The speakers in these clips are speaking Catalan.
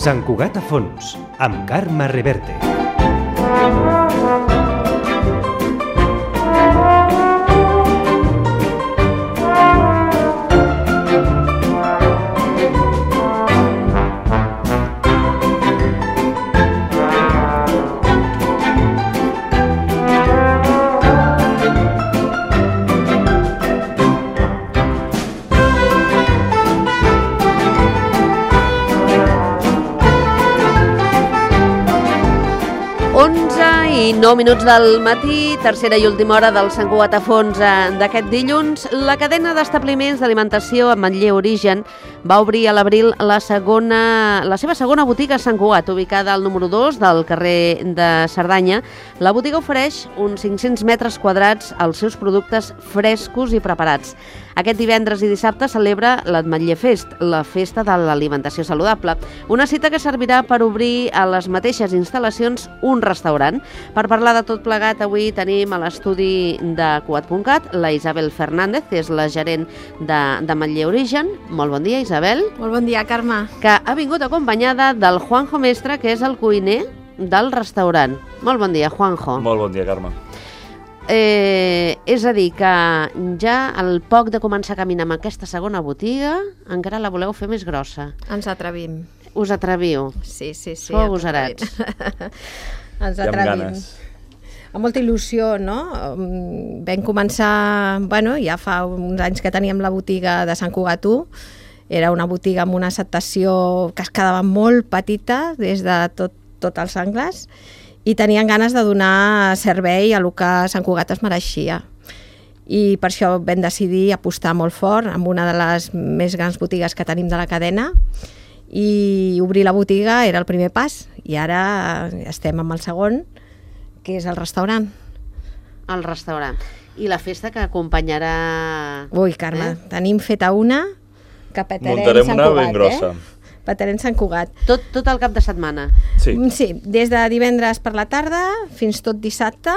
Sant Cugat a fons, amb Carme Reverte. I 9 minuts del matí, tercera i última hora del Sant Cugat a fons d'aquest dilluns. La cadena d'establiments d'alimentació Ametller Origen va obrir a l'abril la seva segona botiga a Sant Cugat, ubicada al número 2 del carrer de Cerdanya. La botiga ofereix uns 500 metres quadrats als seus productes frescos i preparats. Aquest divendres i dissabte celebra l'Ametller Fest, la festa de l'alimentació saludable. Una cita que servirà per obrir a les mateixes instal·lacions un restaurant. Per parlar de tot plegat, avui tenim a l'estudi de Cugat.cat la Isabel Fernández, que és la gerent d'Ametller Origen. Molt bon dia, Isabel. Molt bon dia, Carme. Que ha vingut acompanyada del Juanjo Mestre, que és el cuiner del restaurant. Molt bon dia, Juanjo. Molt bon dia, Carme. És a dir, que ja al poc de començar a caminar amb aquesta segona botiga, encara la voleu fer més grossa. Ens atrevim. Us atreviu? Sí. Sou agosarats. Ens atrevim. Amb molta il·lusió, no? Vam començar, ja fa uns anys que teníem la botiga de Sant Cugat 1. Era una botiga amb una acceptació que es quedava molt petita des de tots els angles, i tenien ganes de donar servei a el que Sant Cugat es mereixia. I per això vam decidir apostar molt fort amb una de les més grans botigues que tenim de la cadena, i obrir la botiga era el primer pas, i ara estem amb el segon, que és el restaurant. El restaurant. I la festa que acompanyarà... Ui, Carme, tenim feta una que petarem Muntarem Sant una Cugat, ben grossa. Petarem Sant Cugat. Tot el cap de setmana? Sí. Sí, des de divendres per la tarda fins tot dissabte.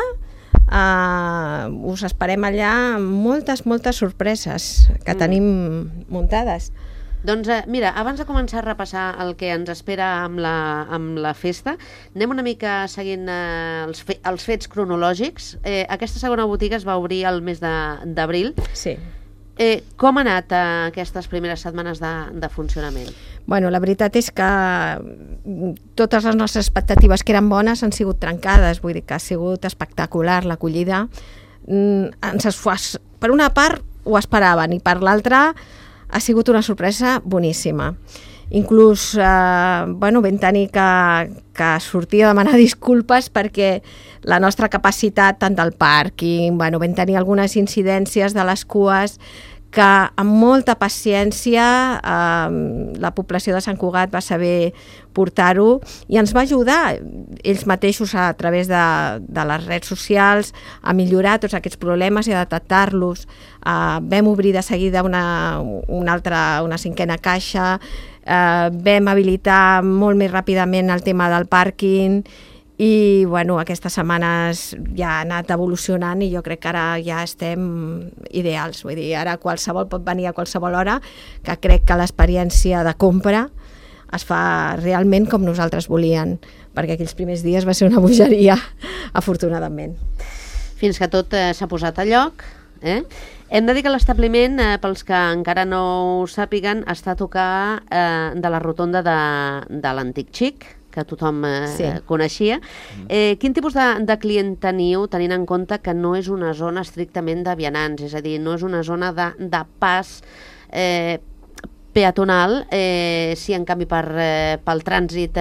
Us esperem allà amb moltes sorpreses que tenim muntades. Doncs mira, abans de començar a repassar el que ens espera amb la festa, anem una mica seguint els fets cronològics. Aquesta segona botiga es va obrir el mes d'abril. Sí. Com ha anat aquestes primeres setmanes de funcionament? Bueno, la veritat és que totes les nostres expectatives, que eren bones, han sigut trencades. Vull dir que ha sigut espectacular l'acollida. Per una part ho esperaven, i per l'altra ha sigut una sorpresa boníssima. Inclús vam tenir que sortir a demanar disculpes perquè la nostra capacitat, tant del pàrquing, vam tenir algunes incidències de les cues que amb molta paciència la població de Sant Cugat va saber portar-ho, i ens va ajudar ells mateixos a través de les redes socials a millorar tots aquests problemes i a detectar-los. Vam obrir de seguida una cinquena caixa, vam habilitar molt més ràpidament el tema del pàrquing, i aquestes setmanes ja ha anat evolucionant, i jo crec que ara ja estem ideals. Vull dir, ara qualsevol pot venir a qualsevol hora, que crec que l'experiència de compra es fa realment com nosaltres volíem, perquè aquells primers dies va ser una bogeria, afortunadament. Fins que tot s'ha posat a lloc. Hem de dir que l'establiment, pels que encara no ho sàpiguen, està a tocar de la rotonda de l'Antic Xic, que tothom coneixia. Quin tipus de client teniu, tenint en compte que no és una zona estrictament de vianants, és a dir, no és una zona de pas peatonal, si en canvi pel trànsit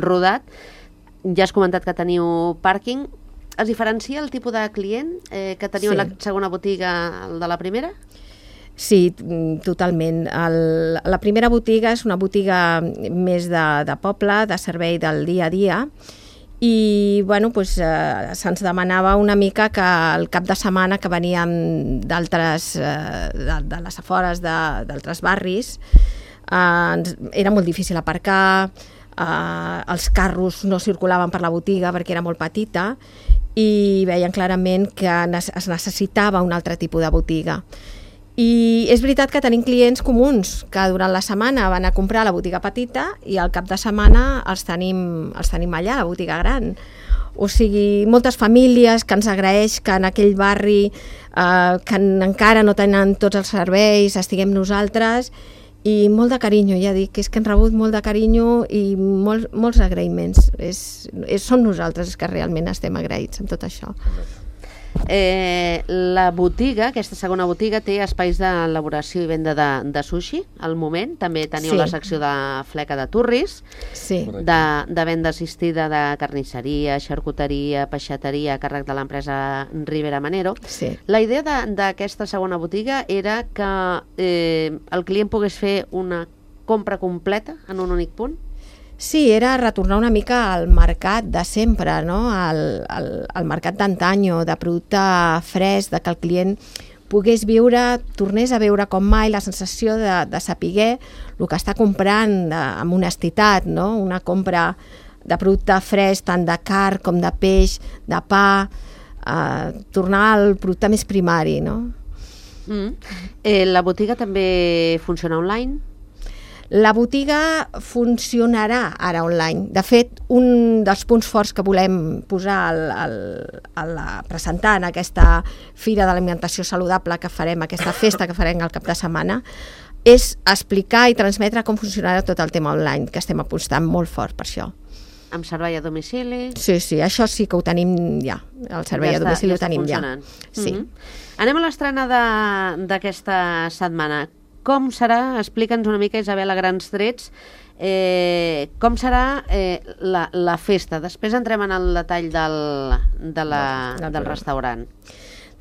rodat? Ja has comentat que teniu pàrquing. Es diferencia el tipus de client que teniu a la segona botiga de la primera? Sí, totalment. La primera botiga és una botiga més de poble, de servei del dia a dia, i se'ns demanava una mica que el cap de setmana que veníem de les afores d'altres barris, era molt difícil aparcar, els carros no circulaven per la botiga perquè era molt petita, i veien clarament que es necessitava un altre tipus de botiga. I és veritat que tenim clients comuns que durant la setmana van a comprar a la botiga petita i al cap de setmana els tenim allà, a la botiga gran. O sigui, moltes famílies que ens agraeix que en aquell barri que encara no tenen tots els serveis estiguem nosaltres, i molt de carinyo, ja dic, és que hem rebut molt de carinyo i molts agraïments. Som nosaltres que realment estem agraïts amb tot això. La botiga, aquesta segona botiga, té espais d'elaboració i venda de sushi, al moment. També teniu la secció de fleca de turris, de venda assistida de carnisseria, xarcuteria, peixateria, a càrrec de l'empresa Rivera Manero. La idea d'aquesta segona botiga era que el client pogués fer una compra completa en un únic punt? Sí, era retornar una mica al mercat de sempre, no? Al mercat d'antanyo, de producte fresc, de que el client pogués viure, tornés a veure com mai la sensació de saber el que està comprant amb honestitat, no? Una compra de producte fresc, tant de carn com de peix, de pa, tornar al producte més primari, no? La botiga també funciona online? La botiga funcionarà ara online. De fet, un dels punts forts que volem posar presentar en aquesta Fira de l'Alimentació Saludable que farem, aquesta festa que farem al cap de setmana, és explicar i transmetre com funcionarà tot el tema online, que estem apostant molt fort per això. Amb servei a domicili? Sí, això sí que ho tenim ja. El servei a domicili ho tenim ja. Sí. Anem a l'estrena d'aquesta setmana. Com serà? Explica'ns una mica, Isabel, a grans trets, com serà la festa. Després entrem en el detall del restaurant.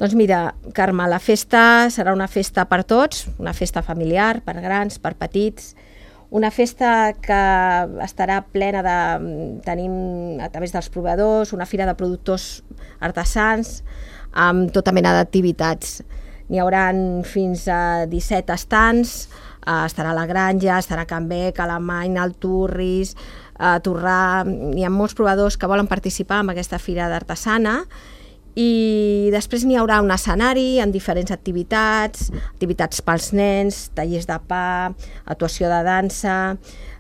Doncs mira, Carme, la festa serà una festa per tots, una festa familiar, per grans, per petits, una festa que estarà plena de... Tenim a través dels proveïdors una fira de productors artesans amb tota mena d'activitats. N'hi haurà fins a 17 estants, estarà la Granja, estarà Can Bec, Alemany, el Turris, Torrà. Hi ha molts proveïdors que volen participar en aquesta fira d'artesana i després n'hi haurà un escenari amb diferents activitats pels nens, tallers de pa, actuació de dansa,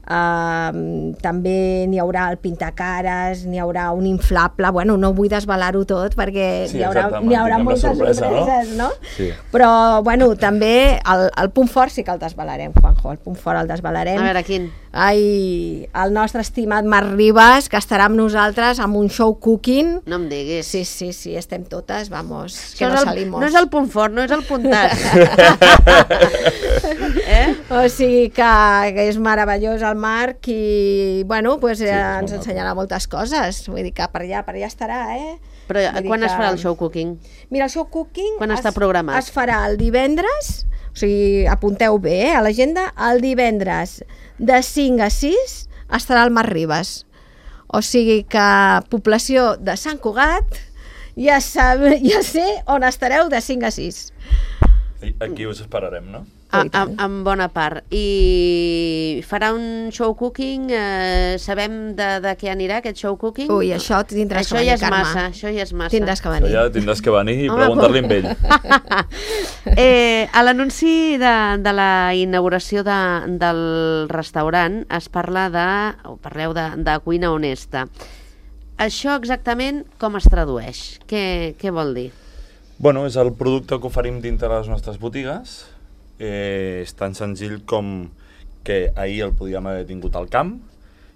també n'hi haurà el pintacares, n'hi haurà un inflable, bueno, no vull desvelar-ho tot perquè n'hi haurà moltes sorpreses, no? Sí. Però, bueno, també el punt fort sí que el desvelarem, Juanjo, el punt fort el desvelarem. A veure, quin? El nostre estimat Marc Ribas, que estarà amb nosaltres amb un show cooking. No em diguis. Sí, estem totes, vamos, que no salimos. No és el punt fort, no és el punt tard. O sigui que és meravellós el Marc i, bueno, pues ens ensenyarà moltes coses. Vull dir que per allà estarà, Però quan es farà el show cooking? Mira, el show cooking quan està programat? Es farà el divendres, o sigui, apunteu bé, a l'agenda, el divendres de 5 a 6 estarà el Marc Ribas. O sigui que població de Sant Cugat ja sé on estareu de 5 a 6. Aquí us esperarem, no? En bona part. I farà un show cooking, sabem de què anirà aquest show cooking? Ui, això tindràs que venir, Carme. Això ja és massa. Tindràs que venir. Això ja tindràs que venir i preguntar-li amb ell. A l'anunci de la inauguració del restaurant es parla parleu de cuina honesta. Això exactament com es tradueix? Què vol dir? Bueno, és el producte que oferim dintre les nostres botigues. És tan senzill com que ahir el podíem haver tingut al camp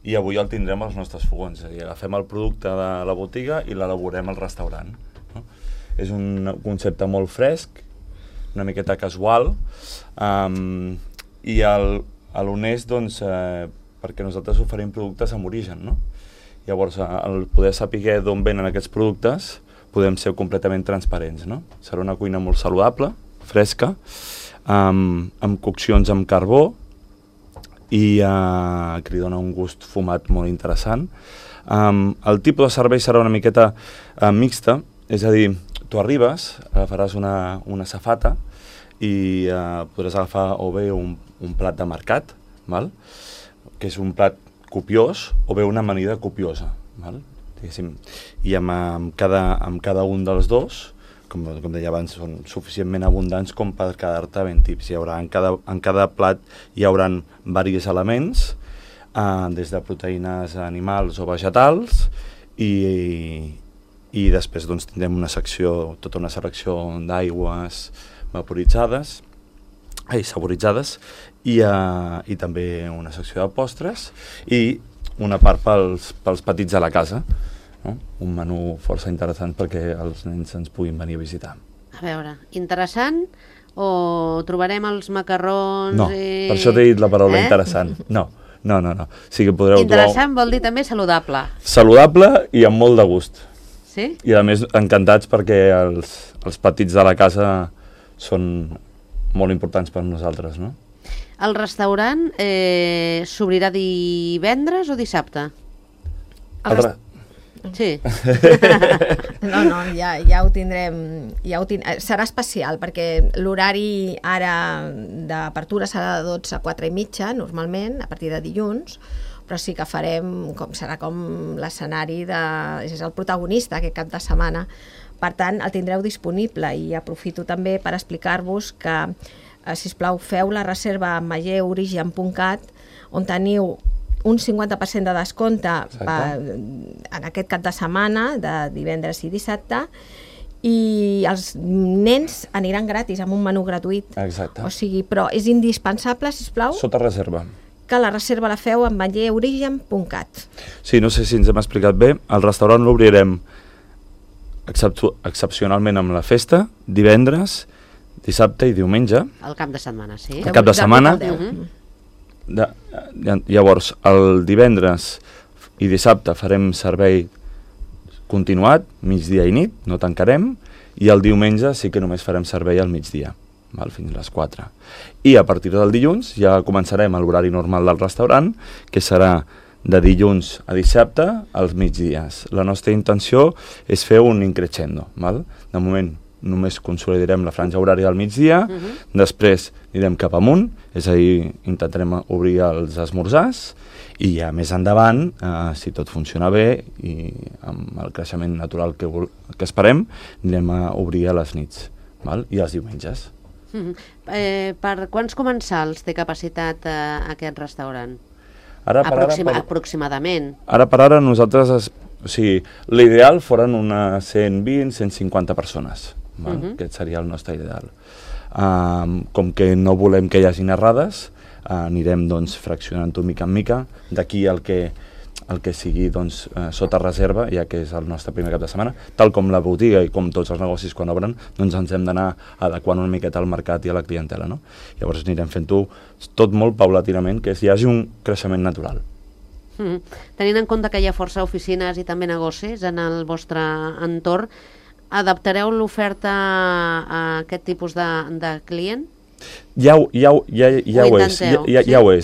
i avui el tindrem als nostres fogons. És a dir, agafem el producte de la botiga i l'elaborem al restaurant. No? És un concepte molt fresc, una miqueta casual, i a l'honest, doncs, perquè nosaltres oferim productes amb origen, no? Llavors, al poder saber d'on venen aquests productes, podem ser completament transparents, no? Serà una cuina molt saludable, fresca, amb coccions amb carbó i que li dona un gust fumat molt interessant. El tipus de servei serà una miqueta mixta, és a dir, tu arribes, faràs una safata i podràs agafar o bé un plat de mercat, val? Que és un plat copiós, o bé una amanida copiosa, val? I amb cada un dels dos com deia abans, són suficientment abundants com per quedar-te ben tips. Hi haurà, en cada plat hi haurà diversos elements, des de proteïnes animals o vegetals, i després doncs, tindrem tota una selecció d'aigües saboritzades i també una secció de postres i una part pels petits de la casa, no? Un menú força interessant perquè els nens ens puguin venir a visitar. A veure, interessant o trobarem els macarrons... No, per això t'he dit la paraula interessant. No. O sigui, podreu interessant vol dir també saludable. Saludable i amb molt de gust. Sí? I a més encantats perquè els petits de la casa són molt importants per nosaltres, no? El restaurant s'obrirà divendres o dissabte? Sí. No, ja ho tindrem. Serà especial, perquè l'horari ara d'apertura serà de 12 a 4 i mitja, normalment, a partir de dilluns, però sí que farem, serà com l'escenari, és el protagonista aquest cap de setmana. Per tant, el tindreu disponible i aprofito també per explicar-vos que, sisplau, feu la reserva a mayeorigen.cat, on teniu un 50% de descompte en aquest cap de setmana, de divendres i dissabte, i els nens aniran gratis, amb un menú gratuït. Exacte. O sigui, però és indispensable, sisplau, sota reserva, que la reserva la feu amb mayeorigen.cat. Sí, no sé si ens hem explicat bé, el restaurant l'obrirem excepcionalment amb la festa, divendres, dissabte i diumenge. El cap de setmana, sí. El cap de setmana. Llavors, el divendres i dissabte farem servei continuat, migdia i nit, no tancarem, i el diumenge sí que només farem servei al migdia, fins a les 4. I a partir del dilluns ja començarem l'horari normal del restaurant, que serà de dilluns a dissabte als migdies. La nostra intenció és fer un increixendo. De moment només consolidarem la franja horària del migdia, després anirem cap amunt, és a dir, intentarem obrir els esmorzars, i ja més endavant, si tot funciona bé i amb el creixement natural que esperem, anirem a obrir a les nits i els diumenges. Per quants comensals té capacitat aquest restaurant? Aproximadament. Ara per ara nosaltres, l'ideal foren unes 120-150 persones. Aquest seria el nostre ideal. Com que no volem que hi hagi errades, anirem fraccionant-ho mica en mica, d'aquí el que sigui sota reserva, ja que és el nostre primer cap de setmana, tal com la botiga i com tots els negocis quan obren, ens hem d'anar adequant una miqueta al mercat i a la clientela, no? Llavors anirem fent-ho tot molt paulatinament, que hi hagi un creixement natural. Tenint en compte que hi ha força oficines i també negocis en el vostre entorn, adaptareu l'oferta a aquest tipus de client? Ja ho és.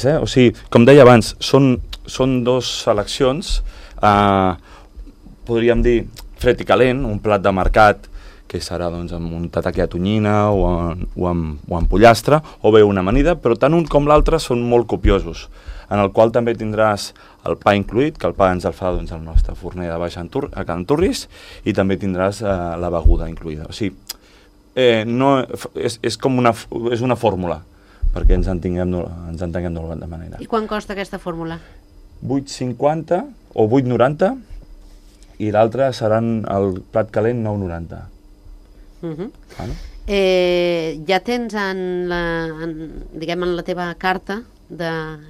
O sigui, com deia abans, són dues seleccions, podríem dir fred i calent, un plat de mercat que serà amb un tataki de tonyina o amb pollastre, o bé una amanida, però tant un com l'altre són molt copiosos, en el qual també tindràs el pa incluït, que el pa ens el fa el nostre forner de baix a Can Turris, i també tindràs la beguda incluïda. O sigui, és una fórmula, perquè ens entenguem d'alguna manera. I quan costa aquesta fórmula? 8,50 o 8,90, i l'altre seran el plat calent 9,90. Ja tens en la teva carta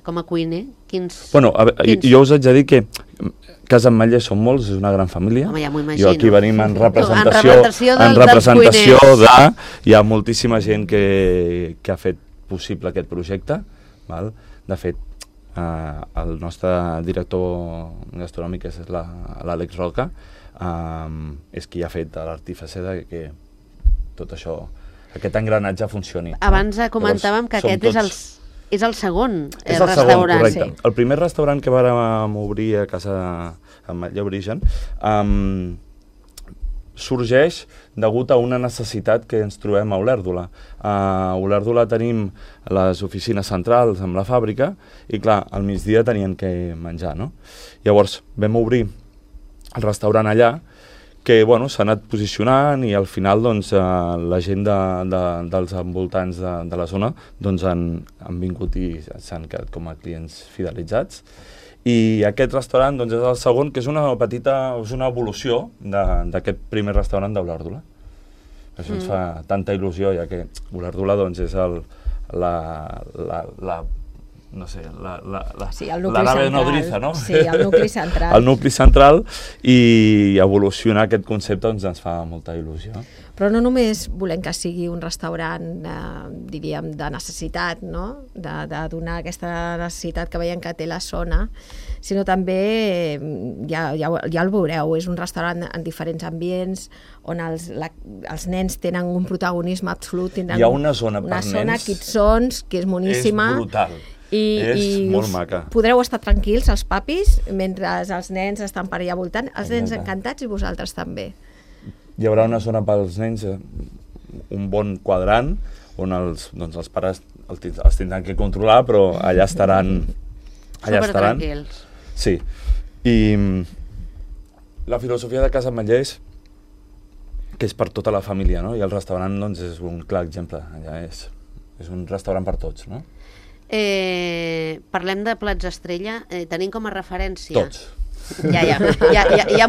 com a cuiner? Jo us haig de dir que Casa Ametller som molts, és una gran família. Home, ja m'ho imagino. Jo aquí venim en representació de... Hi ha moltíssima gent que ha fet possible aquest projecte. De fet, el nostre director gastronòmic, que és l'Àlex Roca, és qui ha fet l'artífice que tot això, aquest engranatge funcioni. Abans comentàvem que aquest és el segon restaurant. Correcte. Sí. El primer restaurant que vàrem obrir a Casa Ametller Origen sorgeix degut a una necessitat que ens trobem a Olèrdola. A Olèrdola tenim les oficines centrals amb la fàbrica i, clar, al migdia tenien que menjar, no? Llavors vam obrir el restaurant allà, que bueno, s'ha anat posicionant i al final doncs, la gent dels envoltants de la zona doncs, han vingut i s'han quedat com a clients fidelitzats. I aquest restaurant doncs, és el segon, que és una evolució d'aquest primer restaurant d'Olèrdola. Això ens fa tanta il·lusió, ja que Olèrdola doncs, és la nave nodriza, no? Sí, el nucli central. El nucli central, i evolucionar aquest concepte doncs, ens fa molta il·lusió. Però no només volem que sigui un restaurant, diríem, de necessitat, no? De donar aquesta necessitat que veiem que té la zona, sinó també, ja el veureu, és un restaurant en diferents ambients, on els nens tenen un protagonisme absolut. Hi ha una zona per nens. Una zona Kidsons, que és moníssima. És brutal. I molt maca. Podreu estar tranquils, els papis, mentre els nens estan per allà voltant, els nens encantats i vosaltres també. Hi haurà una zona pels nens, un bon quadrant, on els pares els tindran que controlar, però allà estaran... Supertranquils. Sí. I la filosofia de Casa Ametller és que és per tota la família, no? I el restaurant doncs, és un clar exemple. Allà és un restaurant per tots, no? Parlem de plats estrella, tenim com a referència... Tots. Ja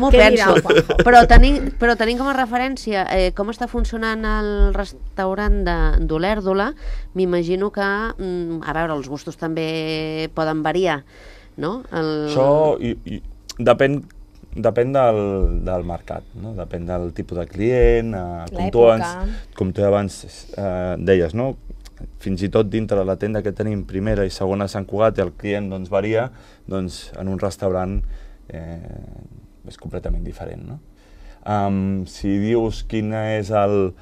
m'ho penso, però tenim com a referència com està funcionant el restaurant d'Olèrdola. M'imagino que, a veure, els gustos també poden variar, no? Això depèn del mercat, no? Depèn del tipus de client, com tu abans deies, no? Fins i tot dintre de la tenda que tenim primera i segona a Sant Cugat, el client doncs, varia, doncs, en un restaurant és completament diferent, no? Si dius quin és el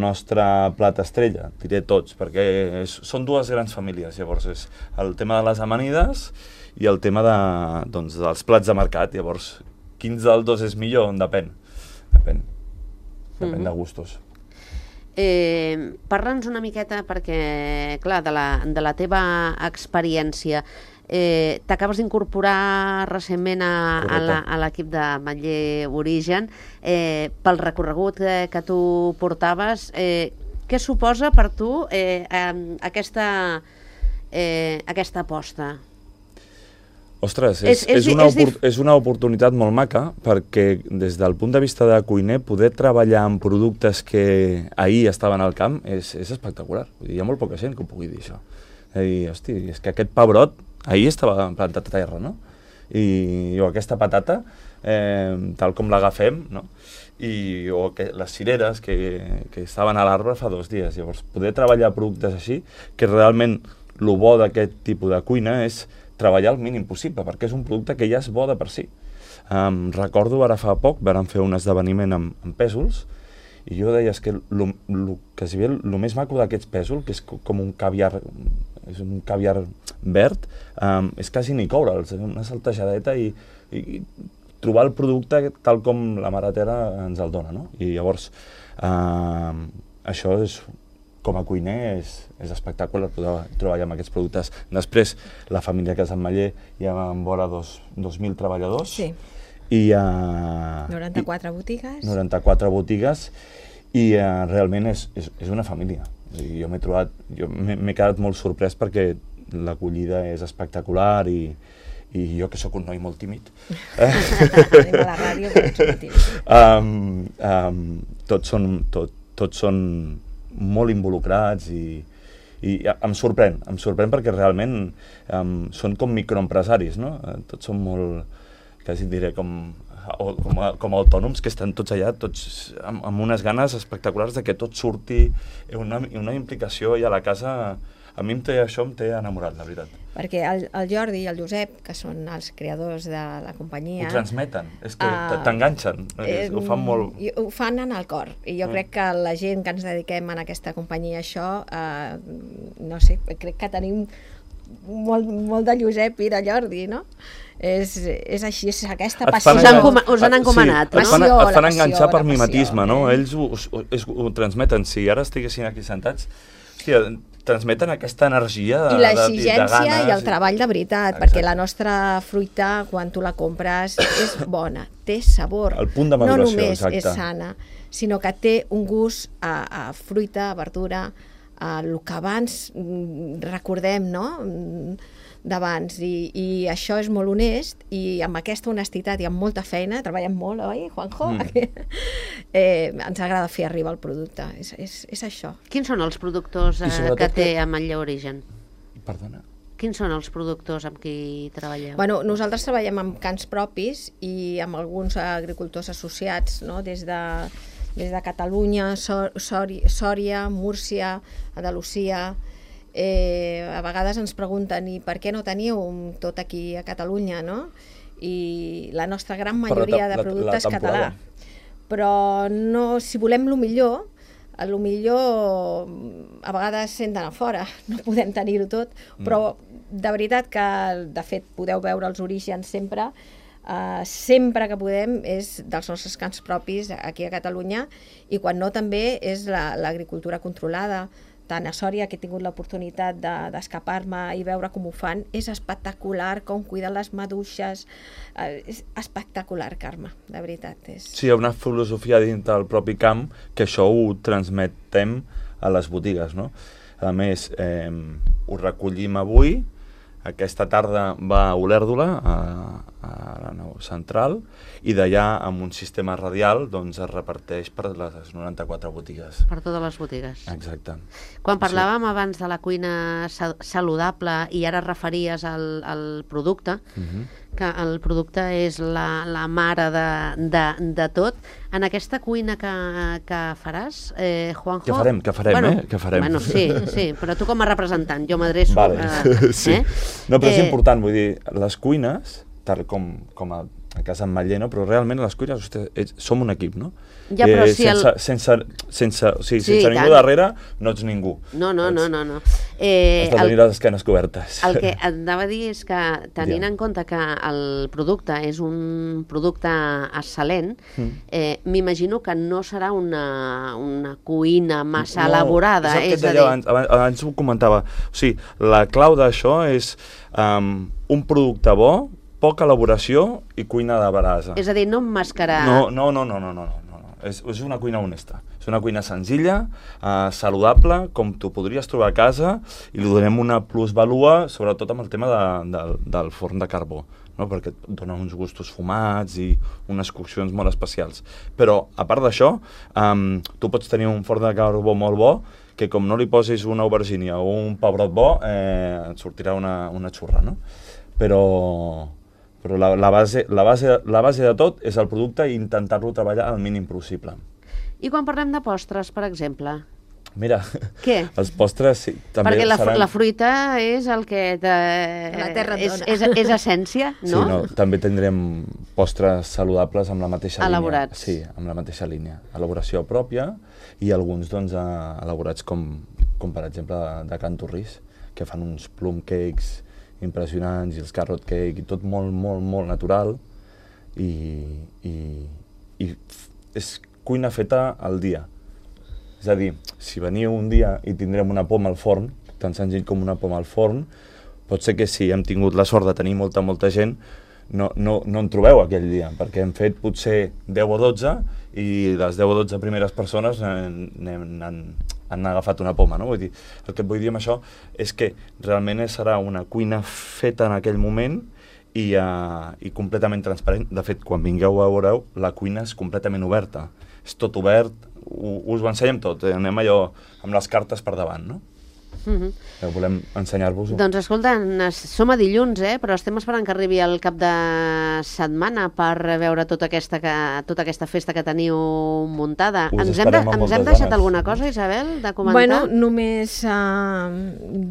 nostre plat estrella, diré tots, perquè són dues grans famílies. Llavors és el tema de les amanides i el tema dels plats de mercat. Llavors, quins dels dos és millor? Depèn de gustos. Parla'ns una miqueta, perquè, clar, de la teva experiència, t'acabes d'incorporar recentment a l'equip de Ametller Origen. Pel recorregut que tu portaves, què suposa per tu aquesta aposta? Ostres, és una oportunitat molt maca, perquè des del punt de vista de cuiner, poder treballar amb productes que ahir estaven al camp és espectacular. Hi ha molt poca gent que ho pugui dir, això. Hosti, és que aquest pebrot ahir estava plantat a terra, no? O aquesta patata, tal com l'agafem, no? O les cireres que estaven a l'arbre fa 2 dies. Llavors, poder treballar productes així, que realment el bo d'aquest tipus de cuina és treballar el mínim possible, perquè és un producte que ja és bo de per si. Recordo ara fa poc, vam fer un esdeveniment amb pèsols, i jo deia que el més maco d'aquests pèsols, que és com un caviar verd, és quasi ni coure'ls, una saltejadeta i trobar el producte tal com la mare terra ens el dona, no? I llavors, això és, com a cuiner, és espectacular poder treballar amb aquests productes. Després, la família Casa Ametller hi ha vora 2.000 treballadors. Sí. I 94 botigues. 94 botigues, i realment és una família. Jo m'he quedat molt sorprès perquè l'acollida és espectacular i jo, que sóc un noi molt tímid, anem a la ràdio, però ets molt tímid. Tots són molt involucrats i em sorprèn perquè realment són com microempresaris, no? Tots són molt, quasi diré, com autònoms, que estan tots allà, tots amb unes ganes espectaculars de que tot surti, una implicació, i a la casa això em té enamorat, la veritat. Perquè el Jordi i el Josep, que són els creadors de la companyia... Ho transmeten, és que t'enganxen, ho fan molt... Ho fan en el cor, i jo crec que la gent que ens dediquem en aquesta companyia a això, no sé, crec que tenim molt de Josep i de Jordi, no? És així, és aquesta passió. Us han encomanat, no? Et fan enganxar per mimetisme, no? Eh? Ells ho transmeten. Si ara estiguessin aquí sentats, hòstia, transmeten aquesta energia de I l'exigència de ganes, i el treball de veritat, perquè la nostra fruita, quan tu la compres, és bona, té sabor. El punt de maduració, no només exacte. és sana, sinó que té un gust a fruita, a verdura, a el que abans recordem, no?, d'abans, i això és molt honest, i amb aquesta honestitat i amb molta feina, treballem molt, oi, Juanjo? Ens agrada fer arribar el producte, és això. Quins són els productors que té a Manlleu Origen? Perdona? Quins són els productors amb qui treballeu? Bueno, nosaltres treballem amb cants propis i amb alguns agricultors associats, no?, des de Catalunya, Sòria, Múrcia, Andalusia. A vegades ens pregunten i per què no teniu tot aquí a Catalunya, no? I la nostra gran majoria de producte és català. Però no, si volem el millor a vegades sent d'anar fora, no podem tenir-ho tot, però de veritat que, de fet, podeu veure els orígens sempre, sempre que podem és dels nostres camps propis aquí a Catalunya, i quan no també és l'agricultura controlada. Tant a Sòria, que he tingut l'oportunitat d'escapar-me i veure com ho fan, és espectacular, com cuiden les maduixes, és espectacular, Carme, de veritat. Sí, hi ha una filosofia dins del propi camp que això ho transmetem a les botigues, no? A més, ho recollim avui, aquesta tarda va a Olèrdola, a la nau central, i d'allà, amb un sistema radial, doncs es reparteix per les 94 botigues. Per totes les botigues. Exacte. Quan parlàvem abans de la cuina saludable i ara referies al producte, que el producte és la mare de tot, en aquesta cuina que faràs, Juanjo... Que farem. Bueno, sí, però tu com a representant, jo m'adreço... Vale, sí. No, però és important, vull dir, les cuines, tal com a casa en Matller, no? Però realment les cuines, ostres, som un equip, no? Ja, però si sense ningú darrere no ets ningú. No. Has de tenir les esquenes cobertes. El que et anava a dir és que, tenint en compte que el producte és un producte excel·lent, m'imagino que no serà una cuina massa elaborada. És el que abans ho comentava. O sigui, la clau d'això és un producte bo, poca elaboració i cuina de brasa. És a dir, no emmascarar... No. És una cuina honesta. És una cuina senzilla, saludable, com tu podries trobar a casa, i li donem una plusvalua, sobretot amb el tema del forn de carbó, no? Perquè et dona uns gustos fumats i unes coccions molt especials. Però, a part d'això, tu pots tenir un forn de carbó molt bo, que com no li posis una aubergínia o un pebrot bo, et sortirà una xurra, no? Però la base de tot és el producte i intentar-lo treballar al mínim possible. I quan parlem de postres, per exemple? Mira, què? Els postres sí, també perquè seran... la fruita és el que... La terra dona. És essència, no? Sí, també tindrem postres saludables amb la mateixa elaborats. línia. Sí, amb la mateixa línia. Elaboració pròpia i alguns doncs, elaborats com per exemple de Can Torrís, que fan uns plum cakes impressionants, i els carrot cake, i tot molt natural, i és cuina feta al dia. És a dir, si veniu un dia i tindrem una poma al forn, tan senzill com una poma al forn, pot ser que si hem tingut la sort de tenir molta gent, no en trobeu aquell dia, perquè hem fet potser 10 o 12, i les 10 o 12 primeres persones han agafat una poma, no? Vull dir, el que et vull dir amb això és que realment serà una cuina feta en aquell moment i completament transparent. De fet, quan vingueu a veureu, la cuina és completament oberta. És tot obert, us ho ensenyem tot, anem allò amb les cartes per davant, no? Volem ensenyar-vos-ho. Doncs escolta, som a dilluns, però estem esperant que arribi el cap de setmana per veure tota aquesta festa que teniu muntada. Ens hem deixat alguna cosa, Isabel, de comentar? Bueno, només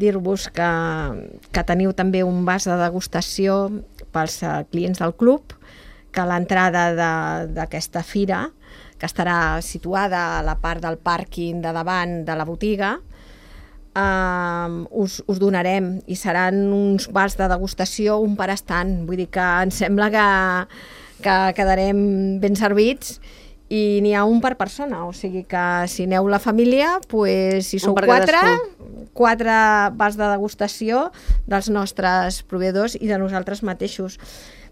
dir-vos que teniu també un vas de degustació pels clients del club, que l'entrada d'aquesta fira, que estarà situada a la part del pàrquing de davant de la botiga, us donarem, i seran uns bars de degustació, un per estant, vull dir que em sembla que quedarem ben servits, i n'hi ha un per persona, o sigui que si aneu la família, pues, si sou per 4 bars de degustació dels nostres proveïdors i de nosaltres mateixos.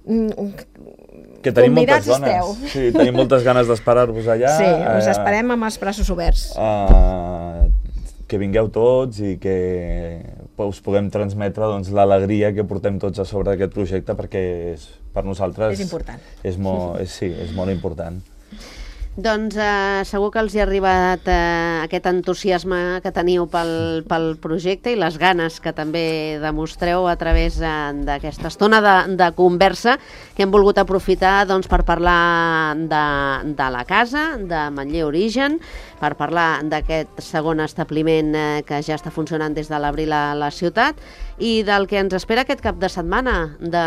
Que tenim moltes Convidats ganes. esteu. Sí, tenim moltes ganes d'esperar-vos allà. Sí, us esperem amb els braços oberts. Que vingueu tots i que us puguem transmetre doncs, l'alegria que portem tots a sobre d'aquest projecte, perquè per nosaltres És important. És molt important. Doncs segur que els hi ha arribat aquest entusiasme que teniu pel projecte i les ganes que també demostreu a través d'aquesta estona de conversa que hem volgut aprofitar doncs, per parlar de la casa, de Manller Origen, per parlar d'aquest segon establiment que ja està funcionant des de l'abril a la ciutat i del que ens espera aquest cap de setmana, de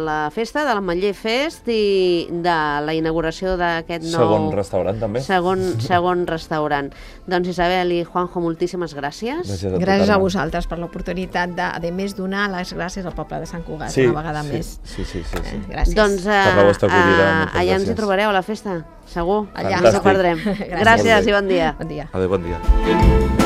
la festa, de la Manller Fest i de la inauguració d'aquest nou... Segon restaurant, també. Segon restaurant. Doncs Isabel i Juanjo, moltíssimes gràcies. Gràcies a vosaltres per l'oportunitat de més donar les gràcies al poble de Sant Cugat una vegada més. Sí. Gràcies. Doncs per la vostra acollida, allà ens hi trobareu a la festa, segur. Allà no ens ho perdrem. Gràcies i bon dia. Bon dia. Adéu, bon dia.